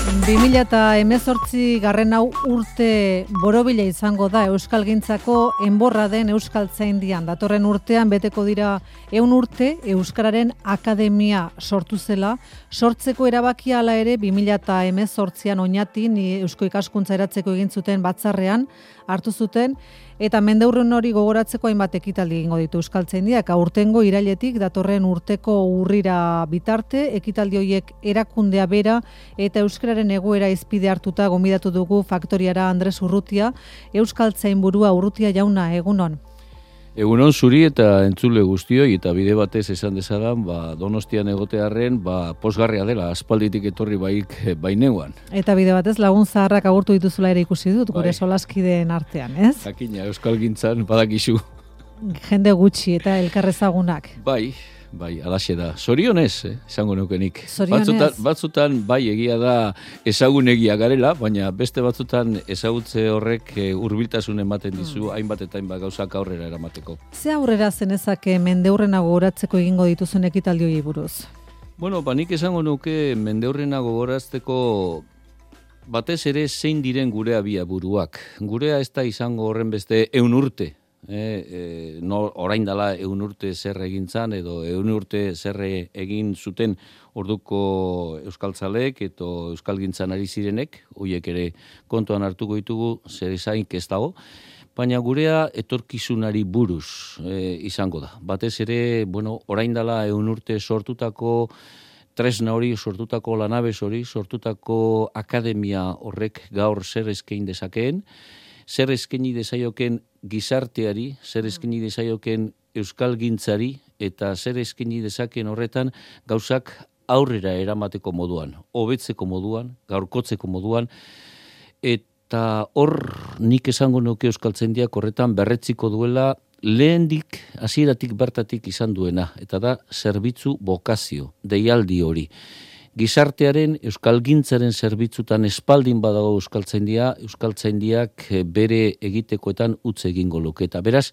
2018 garren hau urte borobila izango da euskalgintzako enborra den Euskaltzaindian. Datorren urtean beteko dira 100 urte Euskararen Akademia sortu zela. Sortzeko erabakia hala ere 2018an Oñatin Eusko Ikaskuntza eratzeko egin zuten batzarrean hartu zuten, eta mendeurren hori gogoratzeko hainbat ekitaldi egingo ditu Euskaltzaindiak. Aurtengo irailetik datorren urteko urrira bitarte, ekitaldi horiek erakundea bera eta euskararen egoera izpide hartuta gonbidatu dugu faktoriara Andres Urrutia. Euskaltzainburua Urrutia jauna, egunon. Egunon zuri eta entzule guztioi, eta bide batez esan dezadan, Donostian egotearren, pozgarria dela, aspalditik etorri baineuan. Eta bide batez lagun zaharrak agurtu dituzula ere ikusi dut, gure solaskideen artean, ez? Jakina, euskalgintzan badakizu. Jende gutxi eta elkarrezagunak. Bai, alaxe da. Zorionez, esango nukenik. Zorionez. Batzutan, bai, egia da ezagunegia garela, baina beste batzutan ezagutze horrek hurbiltasun ematen dizu, hainbat eta hainbat gauzak aurrera eramateko. Ze aurrera zenezake mendeurrena gogoratzeko egingo dituzun ekitaldi hori buruz? Bueno, nik esango nuke mendeurrena gogoratzeko batez ere zein diren gure abiaburuak. Gurea ez da izango horren beste 100 urte. Orain dela 100 urte zer egin zan, edo 100 urte zer egin zuten orduko euskaltzalek eta euskalgintzan ari zirenek, horiek ere kontuan hartuko ditugu, zer ezaink ez dago, baina gurea etorkizunari buruz izango da. Batez ere, orain dela 100 urte sortutako tresna hori, sortutako lanabes hori, sortutako akademia horrek gaur zer eskain dezakeen, zer eskaini dezaioken gizarteari, zer eskaini dezaioken euskalgintzari, eta zer eskaini dezaken horretan gauzak aurrera eramateko moduan, hobetzeko moduan, gaurkotzeko moduan, eta hor nik esango nuke Euskaltzaindiak horretan berretziko duela lehendik, hasieratik bertatik izan duena, eta da zerbitzu bokazio, deialdi hori. Gizartearen, euskalgintzaren zerbitzutan espaldin badago Euskaltzaindiak bere egitekoetan utz egingo luke. Eta beraz,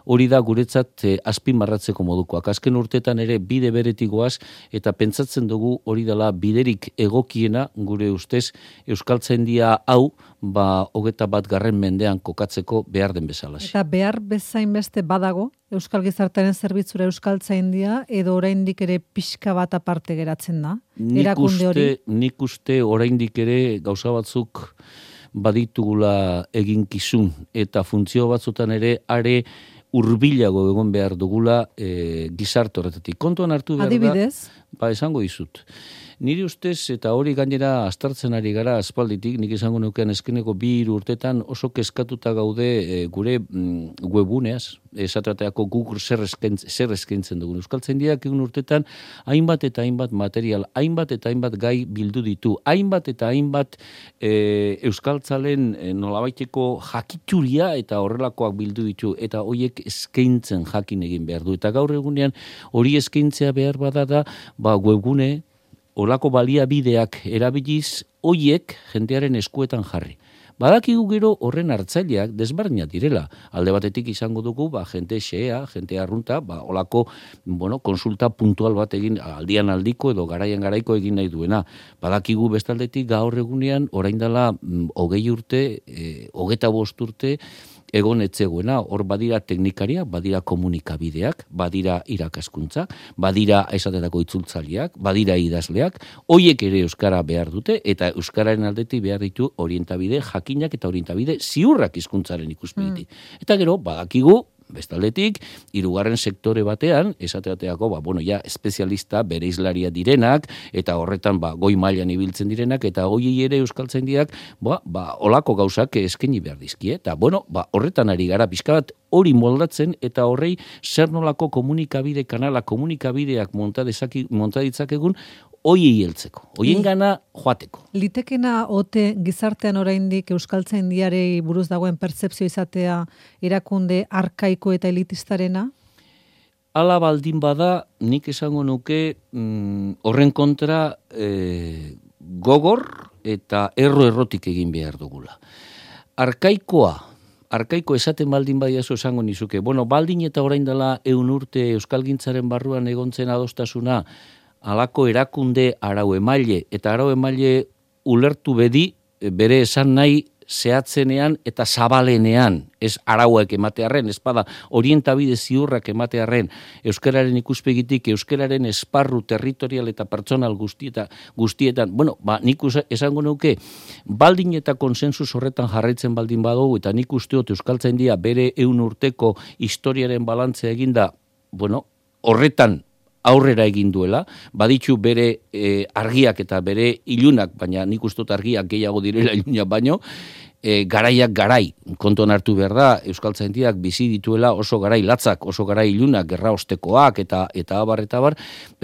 hori da guretzat azpimarratzeko modukoak. Azken urtetan ere bide beretik goaz, eta pentsatzen dugu hori dela biderik egokiena gure ustez Euskaltzaindia hau 21. mendean kokatzeko behar den bezala. Eta behar bezain beste badago Euskal Gizartearen zerbitzura Euskaltzaindia, edo oraindik ere pixka bat aparte geratzen da? Nik uste oraindik ere gauza batzuk baditugula eginkizun, eta funtzio batzutan ere are hurbilago egon behar dugula gizarte horretatik. Kontuan hartu behar da. Adibidez? Esango dizut. Nire ustez, eta hori gainera aztertzen ari gara aspalditik, nik esango nukean eskeneko 2 urtetan oso kezkatuta gaude gure webuneaz, esatrateako Google zer eskaintzen dugun. Euskaltzaindiak 1 urtetan hainbat eta hainbat material, hainbat eta hainbat gai bildu ditu, hainbat eta hainbat euskaltzalen nolabaiteko jakituria eta horrelakoak bildu ditu, eta horiek eskaintzen jakin egin behar du. Eta gaur egunean hori eskaintzea behar bada da, webgune, olako baliabideak erabiliz, hoiek jendearen eskuetan jarri. Badakigu gero horren hartzaileak desberdinak direla. Alde batetik izango dugu, jente xea, jente arrunta, olako konsulta puntual bat egin aldian aldiko edo garaian garaiko egin nahi duena. Badakigu bestaldetik gaur egunean, orain dela 20 urte, 25 urte, egon etzegoena, hor badira teknikariak, badira komunikabideak, badira irakaskuntzak, badira esatetako itzultzaileak, badira idazleak, hoiek ere euskara behar dute, eta euskararen aldetik behar ditu orientabide jakinak eta orientabide ziurrak hizkuntzaren ikuspegitik. Eta gero, badakigu, bestaldetik, 3. sektore batean, esateateako, espezialista bere izlaria direnak, eta horretan goi mailan ibiltzen direnak, eta hoiei ere Euskaltzaindiak, olako gauzak eskaini behar dizkie, eta horretan ari gara, pixka bat hori moldatzen, eta horrei zer nolako komunikabideak monta ditzakegun, hoiei heltzeko, hoien gana joateko. Litekena ote gizartean oraindik Euskaltzaindiari buruz dagoen pertzepzio izatea erakunde arkaiko eta elitistarena? Hala baldin bada, nik esango nuke horren kontra gogor eta errotik egin behar dugula. Arkaiko esaten baldin badiazu esango nizuke. Baldin eta orain dela 100 urte euskalgintzaren barruan egontzen adostasuna, halako erakunde arau emaile, eta arau emaile ulertu bedi bere esan nahi zehatzenean eta zabalenean, ez arauak ematearren, ez bada orientabide ziurrak ematearren, euskararen ikuspegitik, euskararen esparru territorial eta pertsonal guztietan, nik esango nuke, baldin eta konsensus horretan jarraitzen baldin badugu, eta nik usteot Euskaltzaindia bere 100 urteko historiaren balantzea eginda, horretan aurrera egin duela, baditu bere argiak eta bere ilunak, baina nik usteot argiak gehiago direla ilunak baino, garaiak garai, kontuan hartu behar da, Euskaltzaindiak bizi dituela oso garai latzak, oso garai ilunak, gerra ostekoak eta abar,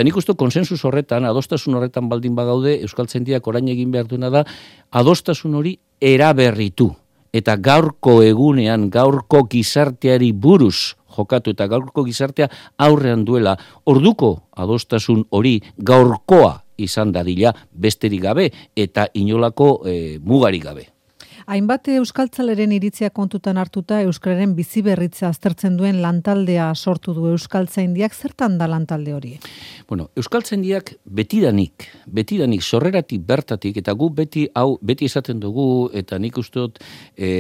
nik uste konsensus horretan, adostasun horretan baldin bagaude, Euskaltzaindiak orain egin behar duena da, adostasun hori eraberritu, eta gaurko egunean, gaurko gizarteari buruz jokatu eta gaurko gizartea aurrean duela, orduko adostasun hori gaurkoa izan dadila besterik gabe eta inolako mugarik gabe. Hainbat euskaltzaleren iritzia kontutan hartuta euskararen biziberritza aztertzen duen lantaldea sortu du Euskaltzaindiak. Zertan da lantalde hori? Euskaltzaindiak betidanik sorreratik bertatik, eta gu beti esaten dugu, eta nik usteot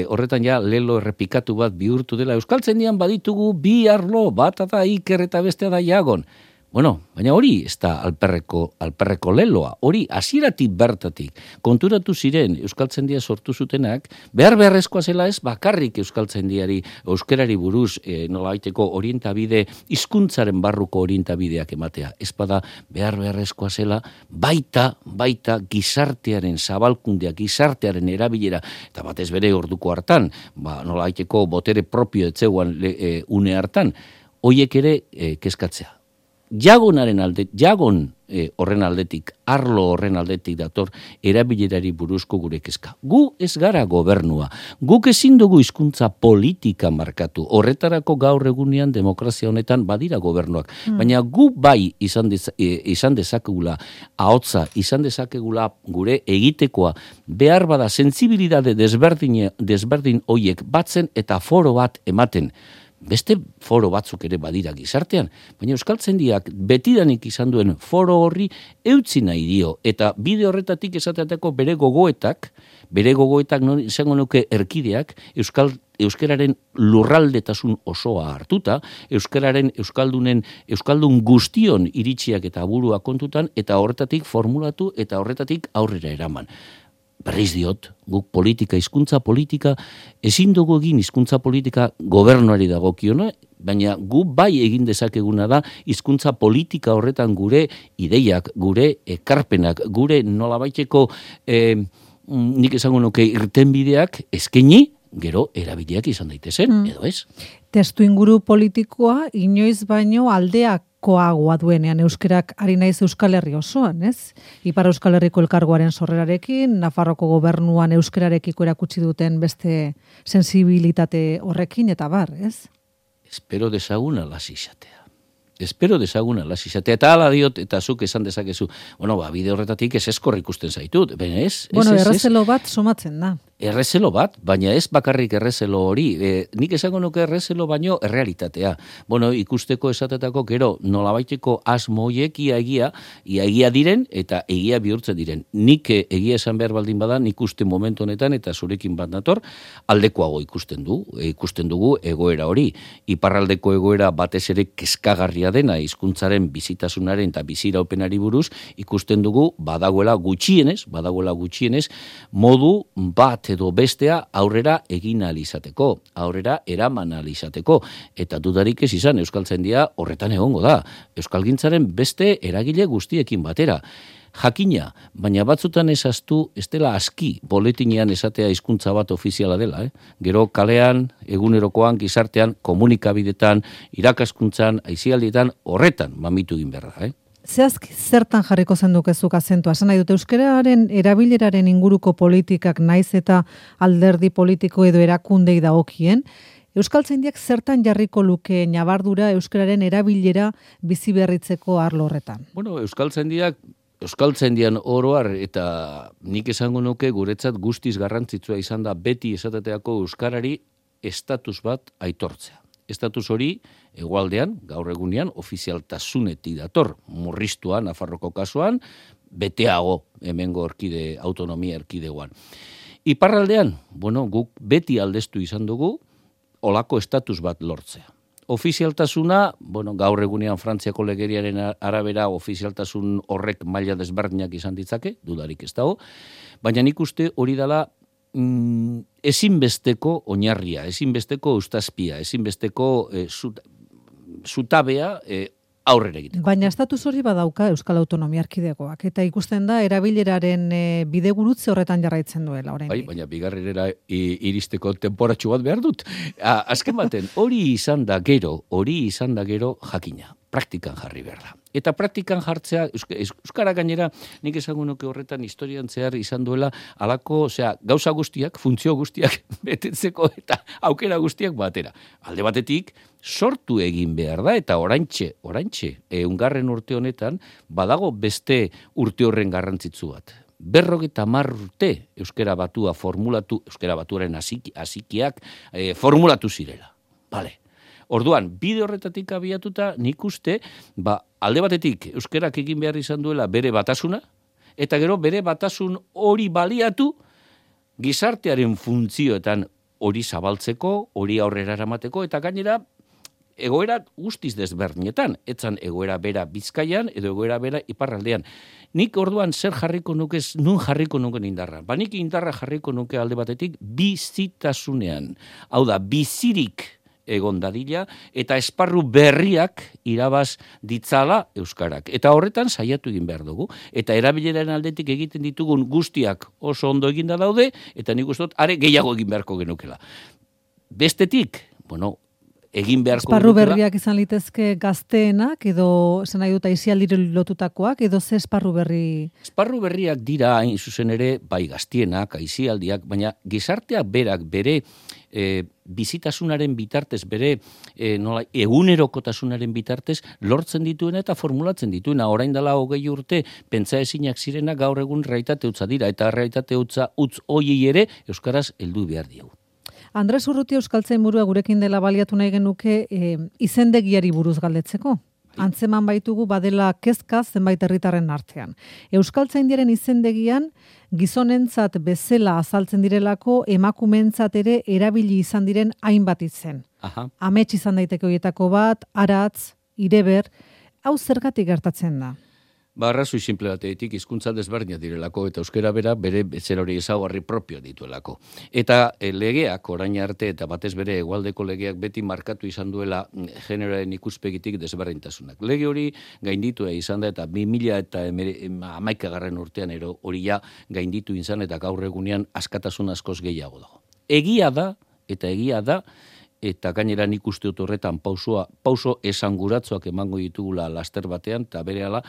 horretan ja lelo errepikatu bat bihurtu dela. Euskaltzaindian baditugu bi arlo, bat da Iker eta bestea da Iagon. Baina hori ez da alperreko leloa, hori hasieratik bertatik konturatu ziren Euskaltzaindia sortu zutenak, beharrezkoa zela ez bakarrik Euskaltzaindiari, euskarari buruz nolabaiteko orientabide, hizkuntzaren barruko orientabideak ematea. Ez bada beharrezkoa zela baita gizartearen zabalkundea, gizartearen erabilera, eta batez bere orduko hartan, nolabaiteko botere propio etzeguan une hartan, hoiek ere kezkatzea. Jagon horren aldetik, arlo horren aldetik dator erabilerari buruzko gure kezka. Gu ez gara gobernua, guk ezin dugu hizkuntza politika markatu, horretarako gaur egunean demokrazia honetan badira gobernuak, baina gu bai izan dezakegula ahotsa, izan dezakegula gure egitekoa, behar bada sentsibilitate desberdin hoiek batzen eta foro bat ematen. Beste foro batzuk ere badira gizartean, baina Euskaltzaindiak betidanik izan duen foro horri eutzi nahi dio, eta bide horretatik esateateko bere gogoetak izango nuke erkideak, euskararen lurraldetasun osoa hartuta, euskaldun guztion iritsiak eta burua kontutan, eta horretatik formulatu eta horretatik aurrera eraman. Berriz diot, guk hizkuntza politika, ezin dugu egin hizkuntza politika gobernuari dagokiona, baina gu bai egin dezakeguna da hizkuntza politika horretan gure ideiak, gure ekarpenak, gure nolabaiteko nik esango nuke irtenbideak eskaini, gero erabiliak izan daitezen, edo ez? Testu inguru politikoa inoiz baino aldeakoagoa duenean euskerak ari naiz Euskal Herri osoan, ez? Ipar Euskal Herriko elkargoaren sorrerarekin, Nafarroko gobernuan euskerarekiko erakutsi duten beste sensibilitate horrekin eta bar, ez? Espero dezagun alaz izatea. Eta hala diot, eta zuk esan dezakezu, bide horretatik ez eskor ikusten zaitut, ez? Errezelo bat somatzen da. Errezelo bat, baina ez bakarrik errezelo hori. Nik esango nuke errezelo baino errealitatea. Ikusteko esatetako gero nolabaiteko asmo hoiek ia egia diren eta egia bihurtzen diren. Nik egia esan behar baldin bada, nik uste momentu honetan eta zurekin bat nator, aldekoago ikusten dugu egoera hori. Iparraldeko egoera batez ere kezkagarria dena hizkuntzaren bizitasunaren eta biziraupenari buruz, ikusten dugu badagoela gutxienez modu bat edo bestea aurrera egin ahal izateko, aurrera eraman ahal izateko, eta dudarik ez izan Euskaltzaindia horretan egongo da. Euskalgintzaren beste eragile guztiekin batera. Jakina, baina batzutan ezaztu, ez dela aski boletinean esatea hizkuntza bat ofiziala dela. Gero kalean, egunerokoan, gizartean, komunikabidetan, irakaskuntzan, aisialdietan, horretan mamitu egin behar da. Zehazki zertan jarriko zendukezuk azentua? Esan nahi dute, euskararen erabileraren inguruko politikak naiz eta alderdi politiko edo erakundei dagokien, Euskaltzaindiak zertan jarriko luke nabardura euskararen erabilera biziberritzeko arlo horretan? Euskaltzaindian oroar eta nik esango nuke guretzat guztiz garrantzitsua izan da beti esateteako euskarari estatus bat aitortzea. Estatus hori hegoaldean, gaur egunean, ofizialtasunetik dator, murriztua Nafarroko kasuan, beteago hemengo autonomia erkidegoan. Iparraldean, guk beti aldeztu izan dugu, olako estatus bat lortzea. Ofizialtasuna, gaur egunean Frantziako legeriaren arabera ofizialtasun horrek maila desberdinak izan ditzake, dudarik ez dago, baina nik uste hori dela ezinbesteko oinarria, ezinbesteko eustazpia, ezinbesteko zutabea aurrera egiteko. Baina estatus hori badauka Euskal Autonomia Erkidegoak, eta ikusten da erabileraren bidegurutze horretan jarraitzen duela oraindik. Bai, baina bigarrenera iristeko temporatxu bat behar dut. Azken baten, hori izan da gero jakina, praktikan jarri behar da. Eta praktikan jartzea, Euskara gainera, nik esango nuke horretan historian zehar izan duela, alako, gauza guztiak, funtzio guztiak betetzeko eta aukera guztiak batera. Alde batetik, sortu egin behar da, eta oraintxe, eungarren urte honetan, badago beste urte horren garrantzitsu bat. 50 urte Euskara Batua formulatu, Euskara Batuaren hasikiak formulatu zirela. Bale. Orduan, bide horretatik abiatuta, nik uste, alde batetik euskerak egin behar izan duela bere batasuna, eta gero bere batasun hori baliatu gizartearen funtzioetan hori zabaltzeko, hori aurrera eramateko, eta gainera egoera guztiz desberdinetan, etzan egoera bera Bizkaian edo egoera bera iparraldean. Nik orduan zer jarriko nuke, nun jarriko nuke indarra. Nik indarra jarriko nuke alde batetik bizitasunean. Hau da, bizirik egon dadila, eta esparru berriak irabaz ditzala euskarak. Eta horretan saiatu egin behar dugu. Eta erabileraren aldetik egiten ditugun guztiak oso ondo eginda daude, eta nik uste dut, are gehiago egin beharko genukela. Bestetik, egin beharko esparru berriak izan litezke gazteenak, edo esan nahi dut aisialdire lotutakoak, edo ze esparru berri? Esparru berriak dira hain zuzen ere, bai gaztienak, aisialdiak, baina gizarteak berak bere bizitasunaren bitartez, bere egunerokotasunaren bitartez, lortzen dituena eta formulatzen dituena. Orain dela 20 urte, pentsa ezinak zirena gaur egun realitate hutsa dira, eta realitate hutsa utz hoiei ere euskaraz heldu behar diegu. Andres Urrutia Euskaltzainburua gurekin dela baliatu nahi genuke izendegiari buruz galdetzeko. Antzeman baitugu badela kezka zenbait herritarren artean. Euskaltzaindiaren izendegian gizonentzat bezala azaltzen direlako emakumentzat ere erabili izan diren hainbat izen. Amets izan daiteke horietako bat, aratz, ireber, hau zergatik gertatzen da? Arrazoi simple batetik hizkuntza desberdinak direlako eta euskara bera bere zer hori ezaugarri propio dituelako. Eta legeak orain arte eta batez bere hegoaldeko legeak beti markatu izan duela generoaren ikuspegitik desberdintasunak. Lege hori gainditu izan da eta 2011 urtean hori ja gainditu izan eta gaur egunean askatasun askoz gehiago dago. Egia da, eta gainera nik uste dut horretan pauso esanguratzoak emango ditugula laster batean, eta berehala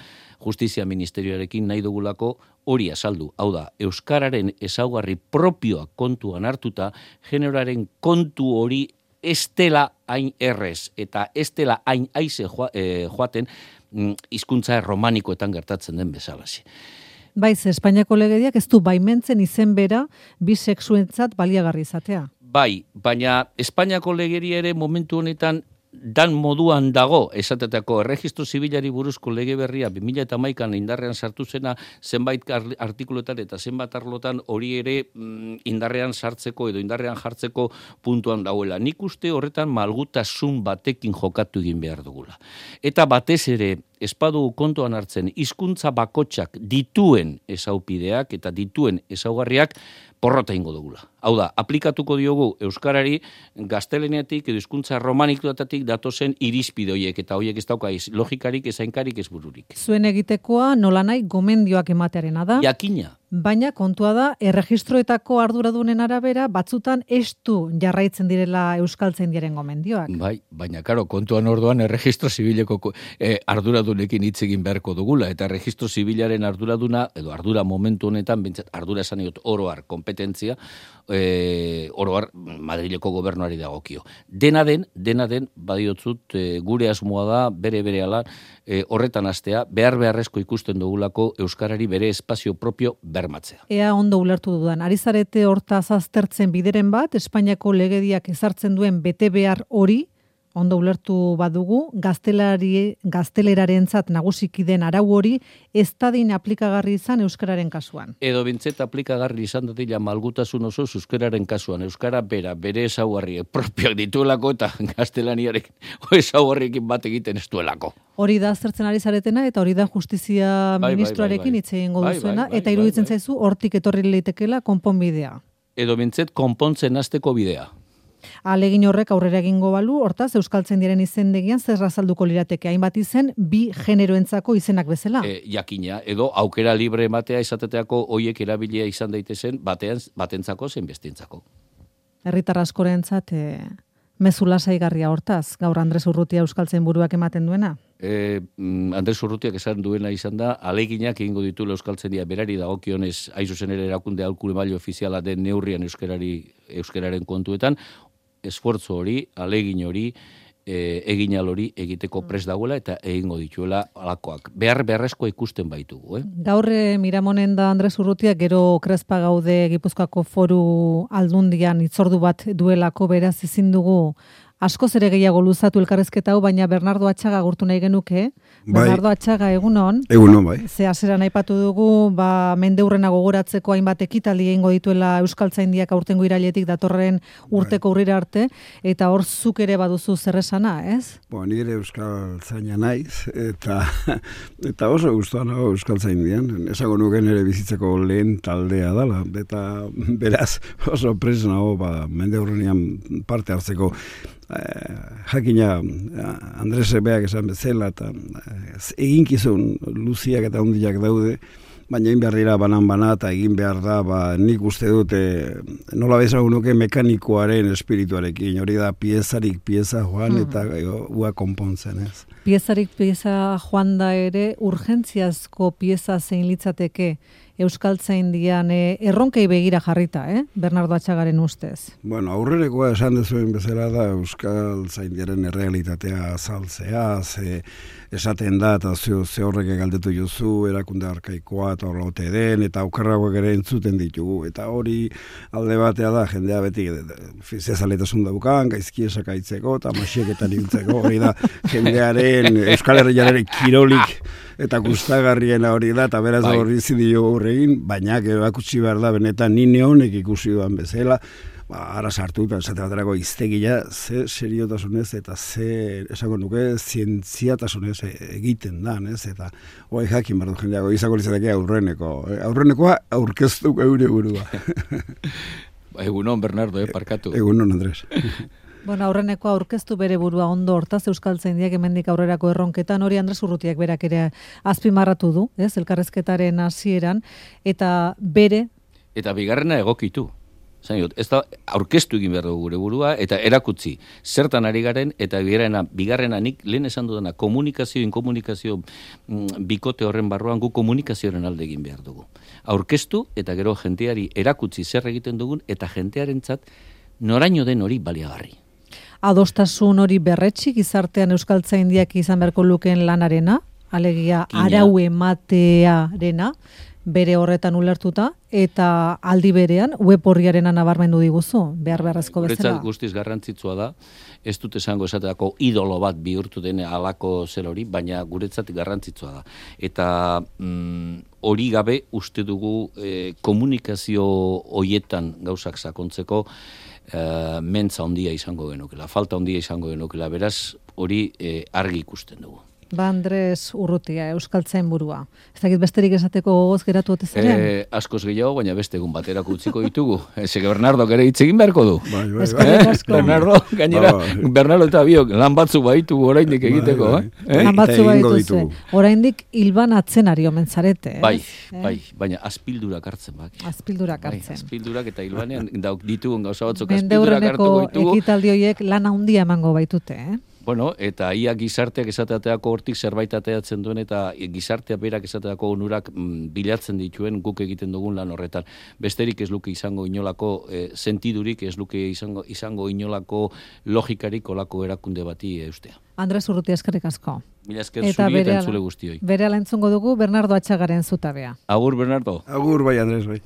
Justizia Ministerioarekin nahi dugulako hori azaldu. Hau da, euskararen ezaugarri propioak kontuan hartuta, generoaren kontu hori ez dela hain errez, eta ez dela hain aize joaten hizkuntza romanikoetan gertatzen den bezalazi. Baiz, Espainiako legediak ez du baimentzen izen bera bisexuentzat baliagarri izatea. Bai, baina Espainiako legeria ere momentu honetan dan moduan dago, esatetako erregistro zibilari buruzko lege berria 2011an indarrean sartu zena zenbait artikuluetan eta zenbait arlotan hori ere indarrean sartzeko edo indarrean jartzeko puntuan dagoela. Nik uste horretan malgutasun batekin jokatu egin behar dugula. Eta batez ere espadu kontuan hartzen hizkuntza bakotsak dituen ezaupideak eta dituen ezaugarriak porrota ingo dugula. Hau da, aplikatuko diogu euskarari gazteleniatik edo hizkuntza romanikoetatik datozen irizpide horiek eta horiek ez dauka logikarik, ezainkarik, ez bururik. Zuen egitekoa nolanahi gomendioak ematearena da. Jakina. Baina kontua da, erregistroetako arduradunen arabera, batzutan estu jarraitzen direla Euskaltzaindiaren gomendioak. Bai, baina karo, kontuan orduan erregistro zibileko arduradunekin hitz egin beharko dugula, eta erregistro zibilaren arduraduna, edo ardura momentu honetan, ardura esan diot oroar kompetentzia, oroar Madrileko gobernuari dagokio. Dena den, badiotzut, gure asmoa da, bere-berehala, horretan hastea, beharrezko ikusten dugulako euskarari bere espazio propio bermatzea. Ea ondo ulertu dudan, ari zarete hortaz aztertzen bideren bat, Espainiako legediak ezartzen duen bete behar hori, ondo ulertu badugu, gaztelerarentzat nagusiki den arau hori ez dadin aplikagarri izan euskararen kasuan. Edo bintzet aplikagarri izan dadila malgutasun oso euskararen kasuan. Euskara bere ezaugarriek propioak dituelako eta gaztelaniarek ezaugarriekin bat egiten ez duelako. Hori da aztertzen ari zaretena eta hori da justizia ministroarekin hitz egingo duzuena eta iruditzen zaizu hortik etorri leitekela konponbidea. Edo bintzet konpontzen hasteko bidea. Alegin horrek aurrera egingo balu, hortaz euskaltzaindiaren izendegian zer azalduko lirateke hainbat izen bi generoentzako izenak bezala. Jakina, edo aukera libre ematea izateteako hoiek erabilia izan daitezen batentzako zein bestientzako. Herritar askorentzat mezu lasaigarria hortaz, gaur Andres Urrutia euskaltzainburuak ematen duena. Andres Urrutiak esan duena izan da, aleginak egingo ditu euskaltzaindia berari dagokionez hain zuzen ere erakunde aholku maila ofiziala den neurrian euskararen kontuetan, esfortzu hori, alegin hori, eginal hori egiteko prest dagoela eta egingo dituela alakoak. Beharrezkoa ikusten baitugu. Gaur Miramonen da Andres Urrutia, gero Krespa gaude Gipuzkoako Foru Aldundian hitzordu bat duelako, beraz ezin dugu askoz ere gehiago luzatu elkarrezketa hau, baina Bernardo Atxaga agurtu nahi genuke. Bernardo Atxaga, egunon. Egunon, bai. Ze hasieran aipatu dugu, mendeurrena gogoratzeko hainbat ekitaldi egingo dituela euskaltzaindiak aurtengo irailetik datorren urteko urrira arte, eta hor zuk ere baduzu zer esana, ez? Nire euskaltzaina naiz, eta oso gustoa nago euskaltzaindian. Esango nuke nire bizitzeko lehen taldea dela, eta beraz oso prest nago mendeurrenean parte hartzeko. Jakina Andres Beak esan bezala eta eginkizun luziak eta hundiak daude, baina egin behar dira banan-bana eta egin behar da, nik uste dute nola bezagun nuke mekanikoaren espirituarekin, hori da piezarik pieza joan eta ua konpontzen, ez? Piezarik pieza joan da ere urgentziazko pieza zein litzateke euskaltzaindian erronkei begira jarrita, Bernardo Atxagaren ustez. Bueno, aurrenekoa esan dezuen bezala da euskaltzaindiaren errealitatea azaltzea, esaten da eta ze horrek galdetu jozu, erakunde arkaikoa eta horlaute den, eta aukerragoak ere entzuten ditugu, eta hori alde batea da, jendea beti zezaletasun daukan, gaizki esakaitzeko eta masieketan ibiltzeko, hori da jendearen Euskal Herriaren kirolik eta gustagarriena hori da, eta beraz hori zidio horregin, baina erakutsi behar da benetan nine honek ikusi duan bezala, ara sartu eta esate baterako iztegia ze seriotasunez eta ze esango nuke zientziatasunez egiten da, eta hori jakin behar du jendeago izango litzateke aurrenekoa aurkeztu geure burua. Egunon, Bernardo, parkatu. Egunon, Andres. Aurrenekoa aurkeztu bere burua ondo, hortaz euskaltzaindiak hemendik aurrerako erronketan, hori Andres Urrutiak berak ere azpimarratu du, elkarrezketaren hasieran, eta bere... Eta bigarrena egokitu. Ez da, aurkeztu egin behar dugu gure burua, eta erakutzi, zertan ari garen, eta bigarrena nik lehen esan dudana, komunikazio bikote horren barruan gu komunikazioaren alde egin behar dugu. Aurkeztu, eta gero jenteari erakutzi zer egiten dugun, eta jentearentzat noraino den hori baliagarri. Adostasun hori berretsi gizartean euskaltzaindiak izan beharko lukeen lanarena, alegia arau ematearena, bere horretan ulertuta, eta aldi berean web horriarena nabarmendu diguzu, beharrezko bezala. Guretzat guztiz garrantzitsua da, ez dut esango esateako idolo bat bihurtu den halako zer hori, baina guretzat garrantzitsua da. Eta hori gabe uste dugu komunikazio hoietan gauzak sakontzeko mentza handia izango genukela, falta handia izango genukela, beraz hori argi ikusten dugu. Andres Urrutia, euskaltzainburua. Ez dakit besterik esateko gogoz geratu ote zaren? Askoz gehiago, baina beste egun baterako utziko ditugu. Bernardo ere hitz egin beharko du. Bernardo, gainera, Bernardo eta biok lan batzuk baitu oraindik egiteko. Lan batzuk baitu oraindik hilban atzen ari omen zarete. Bai, baina azpildurak hartzen. Azpildurak hartzen. Azpildurak eta hilbanean ditugun gauza batzuk azpildurak hartuko ditugu. Mendeurreneko ekitaldi horiek lan handia emango baitute, Eta ia gizarteak esateako hortik zerbait ateatzen duen eta gizarteak berak esateako onurak bilatzen dituen guk egiten dugun lan horretan. Besterik ez luke izango inolako sentidurik, ez luke izango inolako logikarik olako erakunde bati eustea. Andres Urrutia, eskerrik asko. Mila esker zuri eta entzule guztioi. Berehala entzungo dugu Bernardo Atxagaren zutabea. Agur, Bernardo. Agur, bai, Andres, bai.